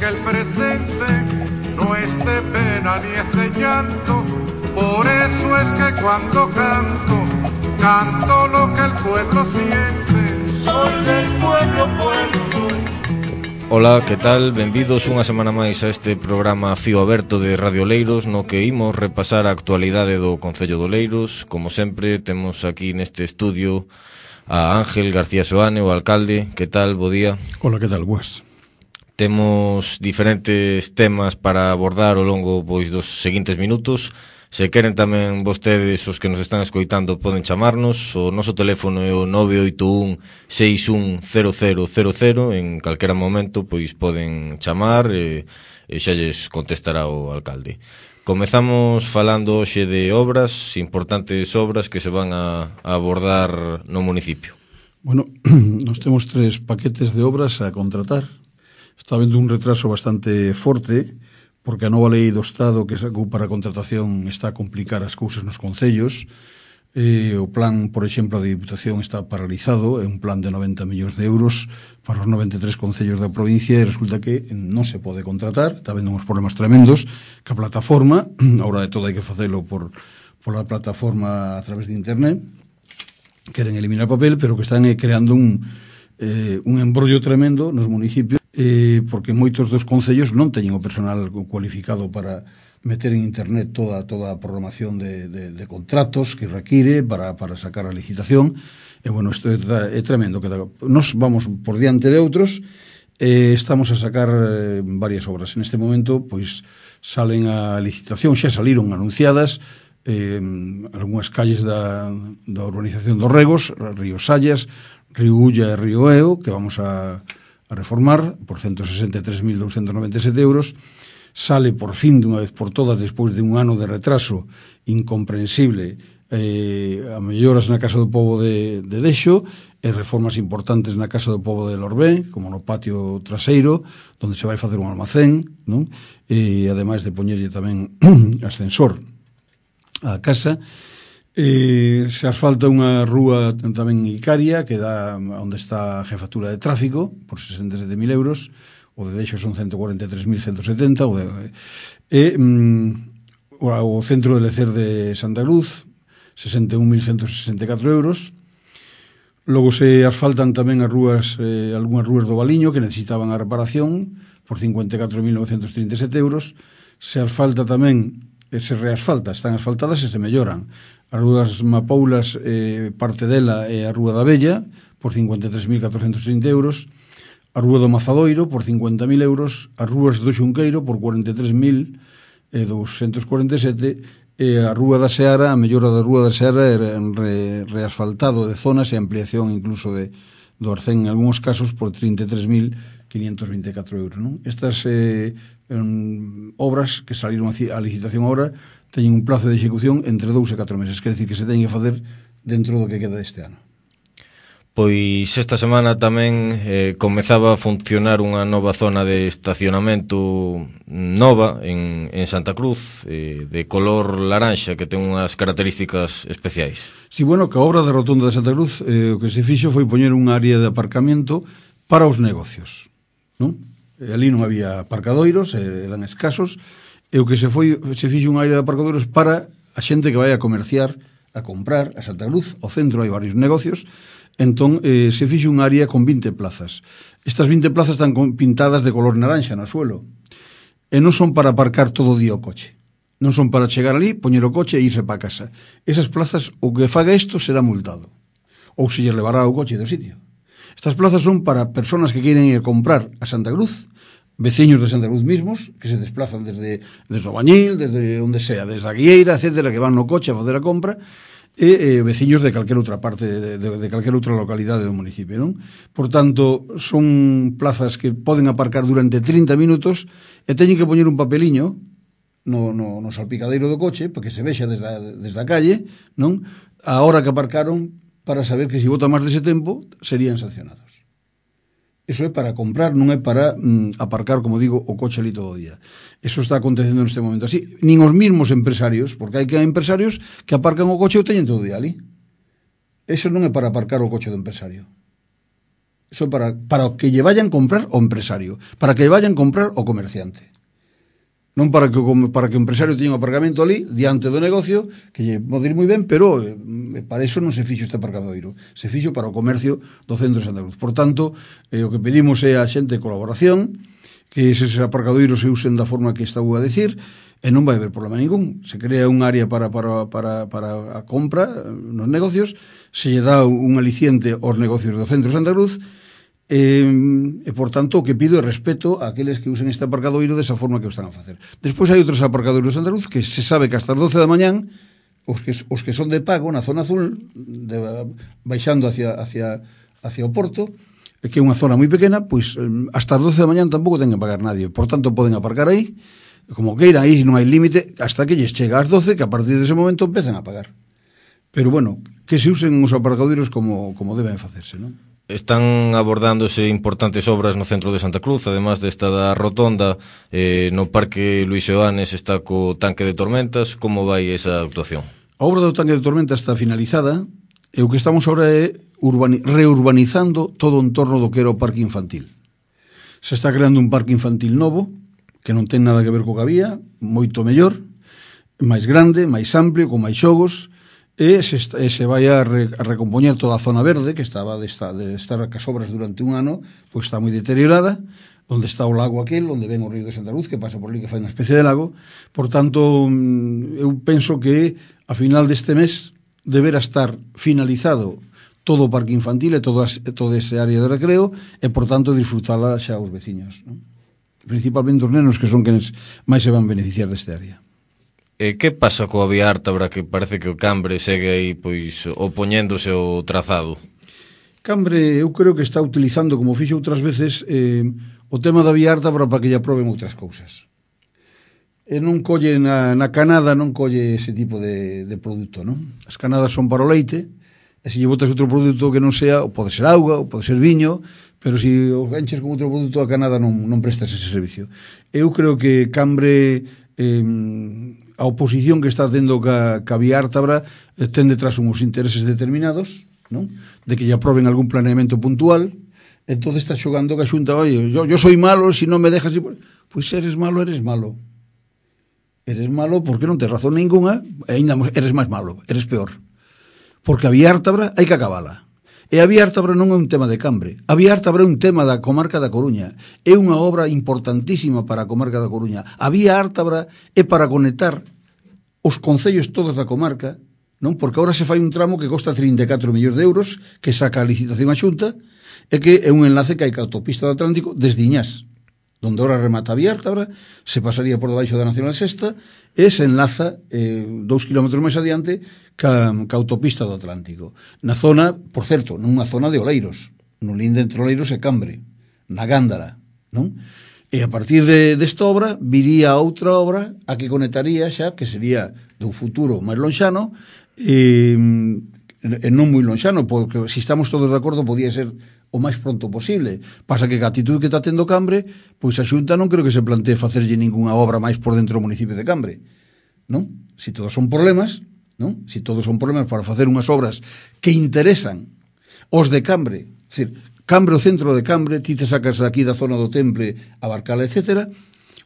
que el presente no es de pena ni es de llanto. Por eso es que cuando canto, canto lo que el pueblo siente. Soy del pueblo, pueblo soy. Ola, que tal? Benvidos unha semana máis a este programa Fío Aberto de Radio Oleiros, no que imos repasar a actualidade do Concello de Oleiros. Como sempre, temos aquí neste estudio a Ángel García Soane, o alcalde. Que tal? Bo día. Ola, que tal? Boas. Temos diferentes temas para abordar ao longo dos seguintes minutos. Se queren tamén vostedes, os que nos están escoitando, poden chamarnos. O noso teléfono é o 981-610000. En calquera momento pois poden chamar e xa lles contestará o alcalde. Comezamos falando hoxe de obras, importantes obras que se van a abordar no municipio. Bueno, nos temos 3 paquetes de obras a contratar. Está habendo un retraso bastante forte, porque a nova lei do Estado que sacou para a contratación está a complicar as cousas nos concellos. O plan, por exemplo, da Diputación está paralizado, é un plan de 90 millóns de euros para os 93 concellos da provincia e resulta que non se pode contratar, está habendo uns problemas tremendos que a plataforma, agora de todo hai que facelo por a plataforma a través de internet, queren eliminar papel, pero que están creando un embrollo tremendo nos municipios, porque moitos dos concellos non teñen o personal cualificado para meter en internet toda a programación de contratos que require para sacar a licitación. E bueno, isto é tremendo. Nos vamos por diante de outros, estamos a sacar varias obras. En este momento, pois, salen a licitación, xa saliron anunciadas algunhas calles da urbanización dos Regos, Río Sallas, Río Ulla e Río Eo, que vamos a reformar por 163.297 euros. Sale por fin dunha vez por todas, despois de un ano de retraso incomprensible, a melloras na Casa do Pobo de Dexo e reformas importantes na Casa do Pobo de Lorbé, como no patio traseiro, onde se vai facer un almacén, non? E ademais de poñerlle tamén ascensor á casa. Se asfalta unha rúa tamén Icaria que dá onde está a jefatura de tráfico por 67.000 euros. O de Dexo son 143.170. O centro de lecer de Santa Cruz, 61.164 euros. Logo se asfaltan tamén as rúas, algunhas rúas do Valiño que necesitaban a reparación por 54.937 euros. Se asfalta tamén, se reasfalta, están asfaltadas e se melloran as rúas Mapoulas, parte dela é a Rúa da Bella por 53.430 euros, a Rúa do Mazadoiro por 50.000 euros, as rúas do Xunqueiro por 43.247 e a Rúa da Seara, a mellora da Rúa da Seara é reasfaltado de zonas e ampliación incluso do Arcén en algúns casos por 33.524 euros, non? Estas obras que saliron a licitación ahora teñen un plazo de execución entre 2 e 4 meses, quer decir que se teñen que facer dentro do que queda deste ano. Pois esta semana tamén comezaba a funcionar unha nova zona de estacionamento nova en Santa Cruz, de color laranxa, que ten unhas características especiais. Si, bueno, que a obra da rotonda de Santa Cruz o que se fixo foi poñer unha área de aparcamento para os negocios, non? Ali non había aparcadoiros, eran escasos, e o que se fixo unha área de aparcadoiros para a xente que vai a comerciar, a comprar a Santa Cruz. Ao centro hai varios negocios. Entón, se fixo unha área con 20 plazas. Estas 20 plazas están pintadas de color naranxa no suelo. E non son para aparcar todo o día o coche. Non son para chegar ali, poñer o coche e irse para casa. Esas plazas, o que faga isto será multado. Ou se lle levará o coche do sitio. Estas plazas son para personas que queren ir a comprar a Santa Cruz, veciños de Santa Cruz mismos, que se desplazan desde o Bañil, desde onde sea, desde a Guieira, etcétera, que van no coche a facer a compra, e veciños de calquera outra parte, de calquera outra localidade do municipio, non? Por tanto, son plazas que poden aparcar durante 30 minutos e teñen que poñer un papeliño no salpicadeiro do coche para que se vexa desde a calle, non? A hora que aparcaron, para saber que se vota máis dese tempo serían sancionados. Eso é para comprar, non é para aparcar, como digo, o coche ali todo o día. Eso está acontecendo neste momento así. Nin os mismos empresarios, porque hai empresarios que aparcan o coche e o teñen todo o día ali. Eso non é para aparcar o coche do empresario. Eso para que lle vayan comprar o empresario, para que lle vayan comprar o comerciante. Non para que o empresario teña un aparcamento ali diante do negocio, que lle pode ir moi ben, pero para iso non se fixo este aparcadoiro, se fixo para o comercio do centro de Santa Cruz. Por tanto, o que pedimos é a xente de colaboración, que eses aparcadoiros se usen da forma que estou a decir, e non vai haber problema ningún. Se crea un área para a compra nos negocios, se lle dá un aliciente aos negocios do centro de Santa Cruz, e por tanto o que pido é respeto a aqueles que usen este aparcadoiro desa forma que o están a facer. Despois hai outros aparcadoiros de Santa Cruz que se sabe que hasta as 12 da mañán os que son de pago na zona azul baixando hacia o porto, que é unha zona moi pequena, pois hasta as 12 da mañán tampouco ten que pagar nadie, por tanto poden aparcar aí como queiran, aí non hai límite hasta que lles chega ás 12, que a partir dese momento empezan a pagar. Pero bueno, que se usen os aparcadoiros como deben facerse, non? Están abordándose importantes obras no centro de Santa Cruz, además desta da rotonda, no Parque Luís Seoanes está co tanque de tormentas. Como vai esa actuación? A obra do tanque de tormentas está finalizada e o que estamos agora é reurbanizando todo o entorno do que era o parque infantil. Se está creando un parque infantil novo, que non ten nada que ver co que había, moito mellor, máis grande, máis amplio, con máis xogos, e se vai a recompoñer toda a zona verde que estaba de estar cas obras durante un ano, pois está moi deteriorada, onde está o lago aquel, onde ven o río de Santa Cruz, que pasa por ali, que fai unha especie de lago. Por tanto, eu penso que a final deste mes deberá estar finalizado todo o parque infantil e todo ese área de recreo, e por tanto disfrutala xa os veciños, non? Principalmente os nenos, que son quenes máis se van beneficiar deste área. Que pasa coa vía Ártabra, que parece que o Cambre segue aí pois opoñéndose ao trazado? Cambre, eu creo que está utilizando, como fixo outras veces, o tema da vía Ártabra para que lle aproben outras cousas. E non colle na canada, non colle ese tipo de produto, non? As canadas son para o leite, e se lle botas outro produto que non sea, ou pode ser auga, ou pode ser viño, pero se os enches con outro produto, a canada non prestas ese servicio. Eu creo que Cambre, a oposición que está tendo ca vía Ártabra, ten detrás uns intereses determinados, non? De que lle aproben algún planeamento puntual. Entón está xogando que a Xunta, oye, yo soy malo, si non me dejas... Pois eres malo. Eres malo porque non tes razón ninguna, e ainda eres máis malo, eres peor. Porque a vía Ártabra hai que acabala. E a vía Ártabra non é un tema de Cambre. A vía Ártabra é un tema da comarca da Coruña. É unha obra importantísima para a comarca da Coruña. A vía Ártabra é para conectar os concellos todos da comarca, non? Porque agora se fai un tramo que costa 34 millóns de euros, que saca a licitación a Xunta, e que é un enlace que hai ca autopista do Atlántico desde Iñás, donde ahora remata a vía Ártabra, se pasaría por debaixo da Nacional Sexta, e se enlaza 2 kilómetros máis adiante ca autopista do Atlántico. Na zona, por certo, nunha zona de Oleiros, no linde entre Oleiros e Cambre, na Gándara, non? E a partir desta obra viría outra obra a que conectaría xa, que sería dun futuro máis lonxano, e non moi lonxano, porque se estamos todos de acordo podía ser o máis pronto posible. Pasa que a actitud que está tendo Cambre, pois a Xunta non creo que se plantee facerlle ningunha obra máis por dentro do municipio de Cambre, non? Si todos son problemas, non? Si todos son problemas para facer unhas obras que interesan os de Cambre, é dicir, Cambre, o centro de Cambre, ti te sacas aquí da zona do Temple a Barcala, etc.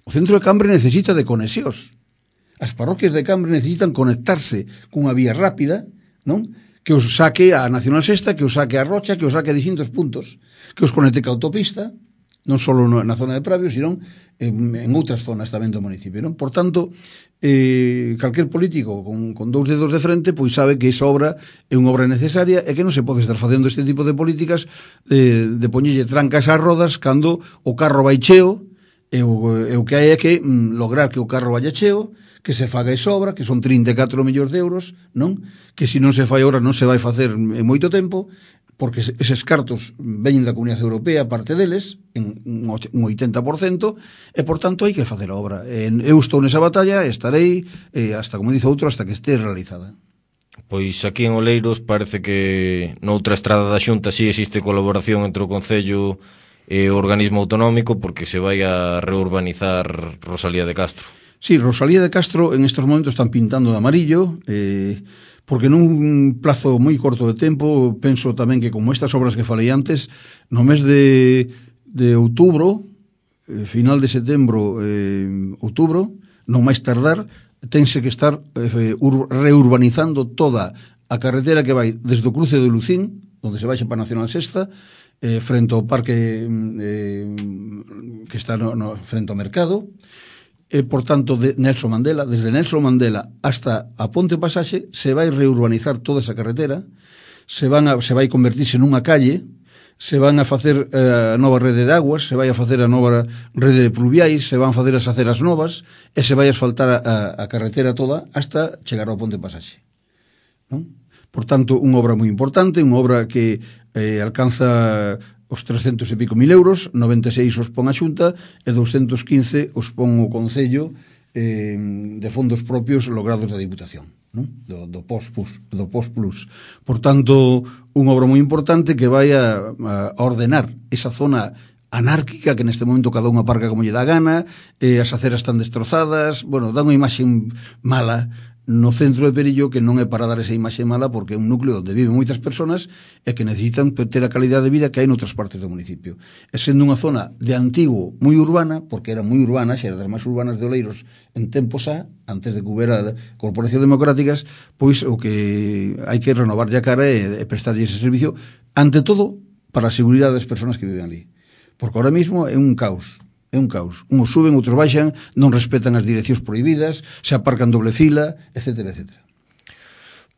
O centro de Cambre necesita de conexións. As parroquias de Cambre necesitan conectarse cunha vía rápida, non? Que os saque a Nacional Sexta, que os saque a Rocha, que os saque a distintos puntos, que os conecte ca autopista, non só na zona de Pravio, sino en outras zonas tamén do municipio, non? Por tanto, calquer político con 2 dedos de frente pois sabe que esa obra é unha obra necesaria e que non se pode estar facendo este tipo de políticas de poñelle trancas ás rodas cando o carro vai cheo, e o que hai é que lograr que o carro vaya cheo, que se faga esa obra, que son 34 millóns de euros, non? Que se non se fai ahora non se vai facer en moito tempo, porque eses cartos veñen da Comunidade Europea, parte deles, en un 80%, e, por tanto, hai que facer a obra. Eu estou nesa batalla e estarei, hasta, como dice outro, hasta que este realizada. Pois aquí en Oleiros parece que noutra estrada da Xunta sí existe colaboración entre o Concello e o organismo autonómico, porque se vai a reurbanizar Rosalía de Castro. Sí, Rosalía de Castro en estos momentos están pintando de amarillo, porque nun plazo moi corto de tempo, penso tamén que como estas obras que falei antes, no mes de outubro, final de setembro, outubro, non máis tardar, tense que estar reurbanizando toda a carretera que vai desde o cruce de Lucín, onde se baixa para Nacional Sexta, frente ao parque que está frente ao mercado, por tanto, de Nelson Mandela, desde Nelson Mandela hasta a Ponte Pasaxe, se vai reurbanizar toda esa carretera, se vai convertirse nunha calle, se van a facer a nova rede de aguas, se vai a facer a nova rede de pluviais, se van a facer as aceras novas, e se vai a asfaltar a carretera toda hasta chegar ao Ponte Pasaxe. Non? Por tanto, unha obra moi importante, unha obra que alcanza os 300 e pico mil euros, 96 os pon a Xunta e 215 os pon o Concello de fondos propios logrados da Diputación, non? Do Post-Plus. Por tanto, unha obra moi importante que vai a ordenar esa zona anárquica que neste momento cada unha aparca como lle dá gana, as aceras están destrozadas, bueno, dá unha imaxe mala no centro de Perillo, que non é para dar esa imaxe mala, porque é un núcleo onde viven moitas persoas e que necesitan ter a calidade de vida que hai noutras partes do municipio. E sendo unha zona de antigo moi urbana, porque era moi urbana, xa era das máis urbanas de Oleiros en tempos antes de que houbera corporacións democráticas, pois o que hai que renovar a cara e prestarlle ese servicio, ante todo, para a seguridade das persoas que viven ali. Porque ahora mismo é un caos. É un caos. Uns suben, outros baixan, non respetan as direccións prohibidas, se aparcan doble fila, etcétera, etcétera.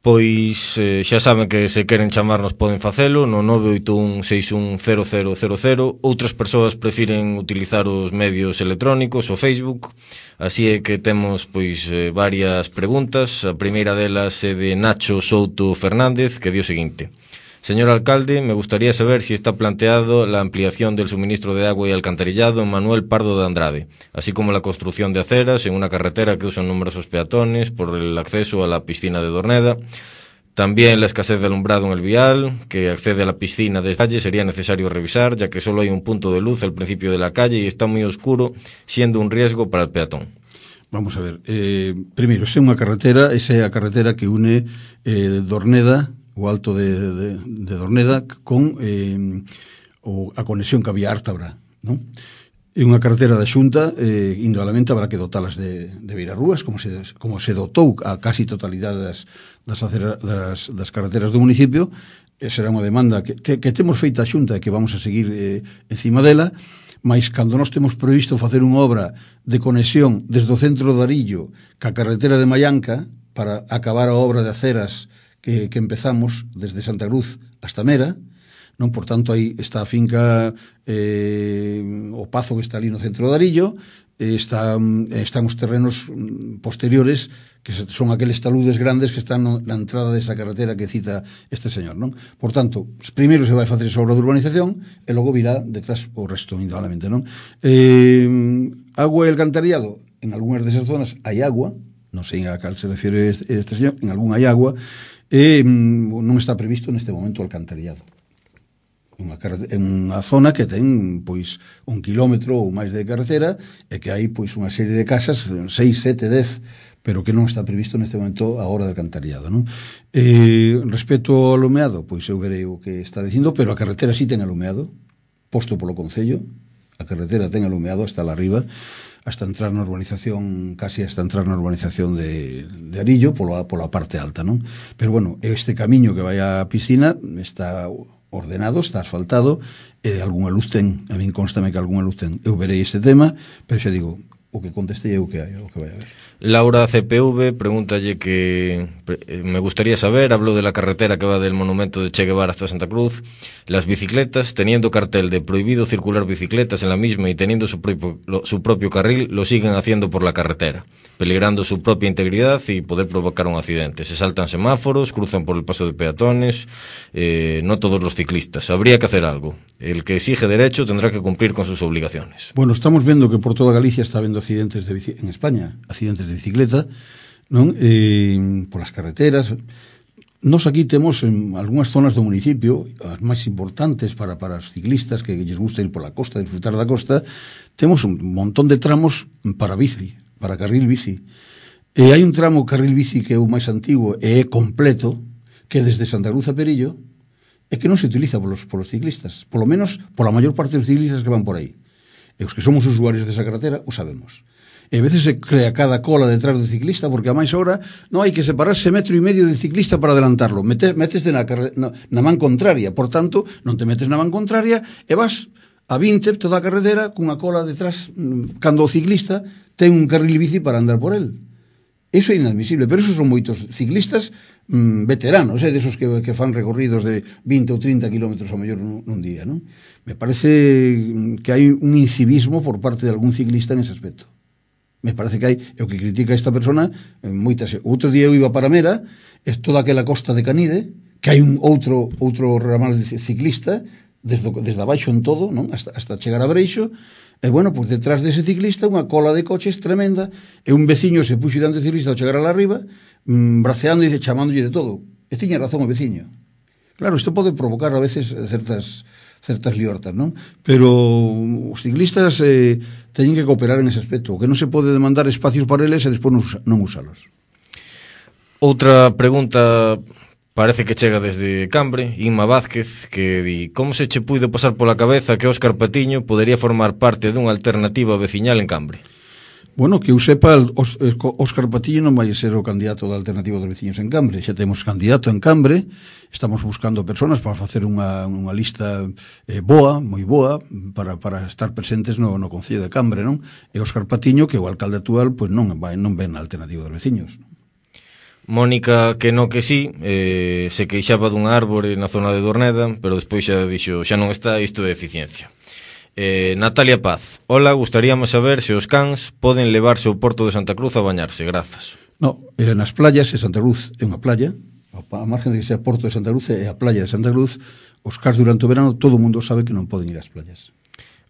Pois xa saben que se queren chamarnos poden facelo no 981610000. Outras persoas prefiren utilizar os medios electrónicos, o Facebook. Así é que temos pois varias preguntas. A primeira delas é de Nacho Souto Fernández, que di o seguinte: Señor alcalde, me gustaría saber si está planteado la ampliación del suministro de agua y alcantarillado en Manuel Pardo de Andrade, así como la construcción de aceras en una carretera que usan numerosos peatones por el acceso a la piscina de Dorneda. También la escasez de alumbrado en el vial, que accede a la piscina de calle, sería necesario revisar, ya que solo hay un punto de luz al principio de la calle y está muy oscuro, siendo un riesgo para el peatón. Vamos a ver, primeiro, esa é a carretera que une Dorneda, o alto de Dorneda, con a conexión que había Ártabra, non? É unha carretera da Xunta, indudablemente habrá que dotalas de beirarrúas, como se dotou a casi totalidade das carreteras do municipio. Será unha demanda que temos feita a Xunta e que vamos a seguir encima dela, mas cando nós temos previsto facer unha obra de conexión desde o centro de Arillo ca carretera de Mallanca para acabar a obra de aceras que empezamos desde Santa Cruz hasta Mera, non? Por tanto, aí está a finca o Pazo, que está ali no centro de Arillo, están os terrenos posteriores, que son aqueles taludes grandes que están na entrada desa carretera que cita este señor, non? Por tanto, primeiro se vai facer esa obra de urbanización e logo virá detrás o resto, indudablemente, non? Agua e alcantarillado, en algunhas desas zonas hai agua, non sei a cal se refiere este señor, en algún hai agua, e non está previsto neste momento o alcantarillado. En unha zona que ten pois 1 kilómetro ou máis de carretera e que hai pois unha serie de casas, 6, 7, 10, pero que non está previsto neste momento a hora de alcantarillado, non? Respecto ao alumeado, pois eu verei o que está dicindo, pero a carretera sí ten alumeado, posto polo Concello, a carretera ten alumeado hasta la arriba, hasta entrar na urbanización, casi hasta entrar na urbanización de Arillo, pola parte alta, non? Pero, bueno, este camiño que vai á piscina está ordenado, está asfaltado, e algunha luz ten, a min constame que algunha luz ten. Eu verei este tema, pero xa digo, o que contestei é o que vai a ver. Laura CPV pregúntalle que me gustaría saber, habló de la carretera que va del monumento de Che Guevara hasta Santa Cruz, las bicicletas, teniendo cartel de prohibido circular bicicletas en la misma y teniendo su propio carril, lo siguen haciendo por la carretera, peligrando su propia integridad y poder provocar un accidente. Se saltan semáforos, cruzan por el paso de peatones, no todos los ciclistas. Habría que hacer algo. El que exige derecho tendrá que cumplir con sus obligaciones. Bueno, estamos viendo que por toda Galicia está habiendo accidentes en España, accidentes de bicicleta, non? Por as carreteras. Nos aquí temos en algunhas zonas do municipio, as máis importantes para os ciclistas que lles gusta ir pola costa, disfrutar da costa, temos un montón de tramos para bici, para carril bici. E hai un tramo carril bici que é o máis antigo e é completo, que desde Santa Cruz a Perillo, é que non se utiliza polos ciclistas, polo menos pola maior parte dos ciclistas que van por aí. E os que somos usuarios desa carretera o sabemos. E a veces se crea cada cola detrás do ciclista, porque a máis hora non hai que separarse 1,5 metros de ciclista para adelantarlo. Meteste na man contraria, por tanto, non te metes na man contraria e vas a 20 toda a carretera cunha cola detrás, cando o ciclista ten un carril bici para andar por el. Eso é inadmisible, pero esos son moitos ciclistas veteranos, desos que fan recorridos de 20 ou 30 kilómetros ao mellor nun día, non? Me parece que hai un incivismo por parte de algún ciclista nese aspecto. Me parece que hai, é o que critica esta persona, moitas. Outro día eu iba para Mera, é toda aquela costa de Canide, que hai un outro ramal ciclista, desde abaixo en todo, non? Hasta chegar a Breixo. E, bueno, pues detrás dese ciclista unha cola de coches tremenda, e un veciño se puxo diante do ciclista ao chegar a la arriba, braceando e chamándolle de todo. E tiña razón o veciño. Claro, isto pode provocar a veces certas liortas, non? Pero os ciclistas teñen que cooperar en ese aspecto, que non se pode demandar espacios para eles e despois non usalos. Outra pregunta parece que chega desde Cambre, Inma Vázquez, que di: como se che puido pasar pola cabeza que Óscar Patiño podería formar parte dunha alternativa veciñal en Cambre? Bueno, que eu sepa, Óscar Patiño non vai ser o candidato da alternativa dos veciños en Cambre. Xa temos candidato en Cambre, estamos buscando personas para facer unha lista boa, moi boa, para estar presentes no Concello de Cambre, non? E Óscar Patiño, que é o alcalde actual, pois non ven a alternativa dos veciños, non? Mónica, que no que sí, se queixaba dunha árbore na zona de Dorneda, pero despois xa dixo, xa non está, isto é eficiencia. Natalia Paz: hola, gustaríame saber se os cans poden levarse ao Porto de Santa Cruz a bañarse, grazas. No, nas playas, Santa Cruz é unha playa, a margen de que sea Porto de Santa Cruz é a playa de Santa Cruz. Os cans durante o verano todo o mundo sabe que non poden ir ás playas.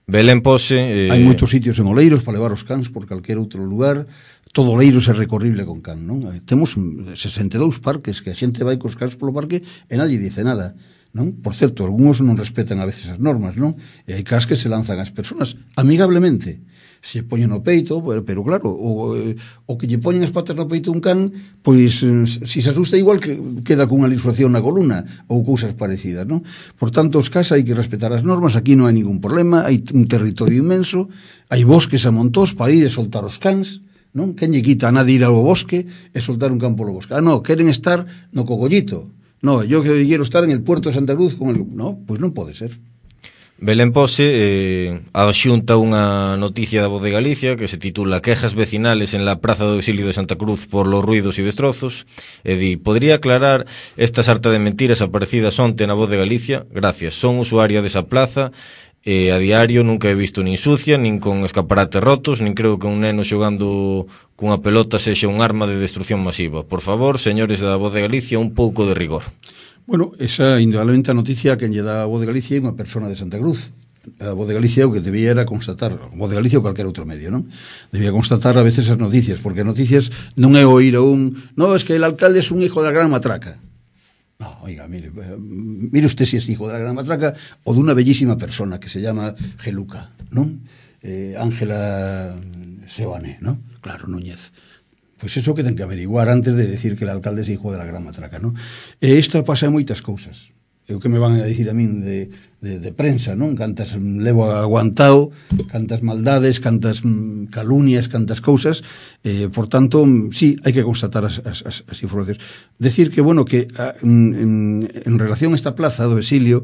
Belén Pose... Hai moitos sitios en Oleiros para levar os cans por calquer outro lugar. Todo Oleiros é recorrible con can, non? Temos 62 parques que a xente vai cos cans polo parque e nadie dice nada, non? Por certo, algúns non respetan a veces as normas, non? E hai cans que se lanzan ás persoas amigablemente, se poñen no peito, pero claro, o que lle poñen as patas no peito un can, pois se se asusta igual que queda cunha lisuación na columna ou cousas parecidas, non? Por tanto, os cas hai que respetar as normas, aquí non hai ningún problema, hai un territorio inmenso, hai bosques a montós para ir e soltar os cans, non? Quen lle quita a nadie ir ao bosque e soltar un can polo bosque? Non, queren estar no cogollito. Non, yo quero estar en el Puerto de Santa Cruz con el... Non, pois non pode ser. Belén Pose adxunta unha noticia da Voz de Galicia que se titula Quejas vecinales en la Praza do Exilio de Santa Cruz por los ruidos y destrozos, e di: podría aclarar esta sarta de mentiras aparecidas onte na Voz de Galicia? Gracias, son usuaria desa plaza e a diario nunca he visto nin sucia, nin con escaparates rotos, nin creo que un neno xogando cunha pelota sexa un arma de destrucción masiva. Por favor, señores da Voz de Galicia, un pouco de rigor. Bueno, esa indudablemente a noticia que lle dá a Voz de Galicia é unha persona de Santa Cruz. A Voz de Galicia o que debía era constatar, a Voz de Galicia ou calquer outro medio, non? Debía constatar a veces as noticias, porque as noticias non é oír a no, es que el alcalde es un hijo da gran matraca. No, oiga, mire usted si es hijo de la gran matraca o de una bellísima persona que se llama Geluca, non? Ángela Seoane, non? Claro, Núñez. Pois eso que ten que averiguar antes de decir que el alcalde é hijo de la gran matraca, non? E isto pasa en moitas cousas. É o que me van a dicir a min de prensa, non? Cantas levo aguantado, cantas maldades, cantas calunias, cantas cousas. Por tanto, sí, hai que constatar as informacións. Decir que, bueno, que en relación a esta plaza do Exilio,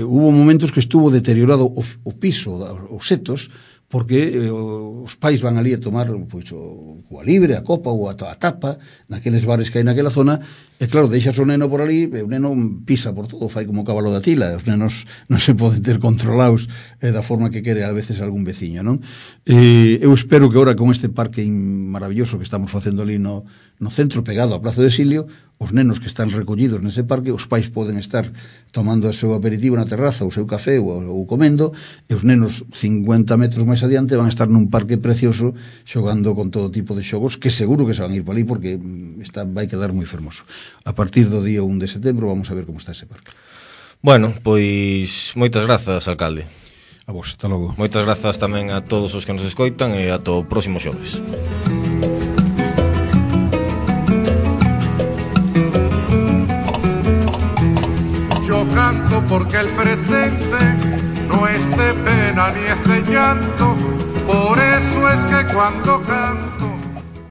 hubo momentos que estuvo deteriorado o piso, os setos, porque os pais van ali a tomar pois, o libre, a copa ou a tapa naqueles bares que hai naquela zona, e claro, deixas o neno por ali e o neno pisa por todo, fai como o cabalo da tila, os nenos non se poden ter controlados da forma que quere a veces algún veciño, non? Eu espero que agora con este parque maravilloso que estamos facendo ali no centro pegado á Praza do Exilio, os nenos que están recollidos nese parque, os pais poden estar tomando o seu aperitivo na terraza, o seu café ou comendo, e os nenos 50 metros máis adiante van a estar nun parque precioso xogando con todo tipo de xogos que seguro que se van a ir para ali porque vai quedar moi fermoso. A partir do día 1 de setembro vamos a ver como está ese parque. Bueno, pois moitas grazas, alcalde. A A vos, hasta logo. Moitas grazas tamén a todos os que nos escoitan e ata o próximo xoves. Yo canto porque el presente no es de pena ni es de llanto, por eso es que cuando canto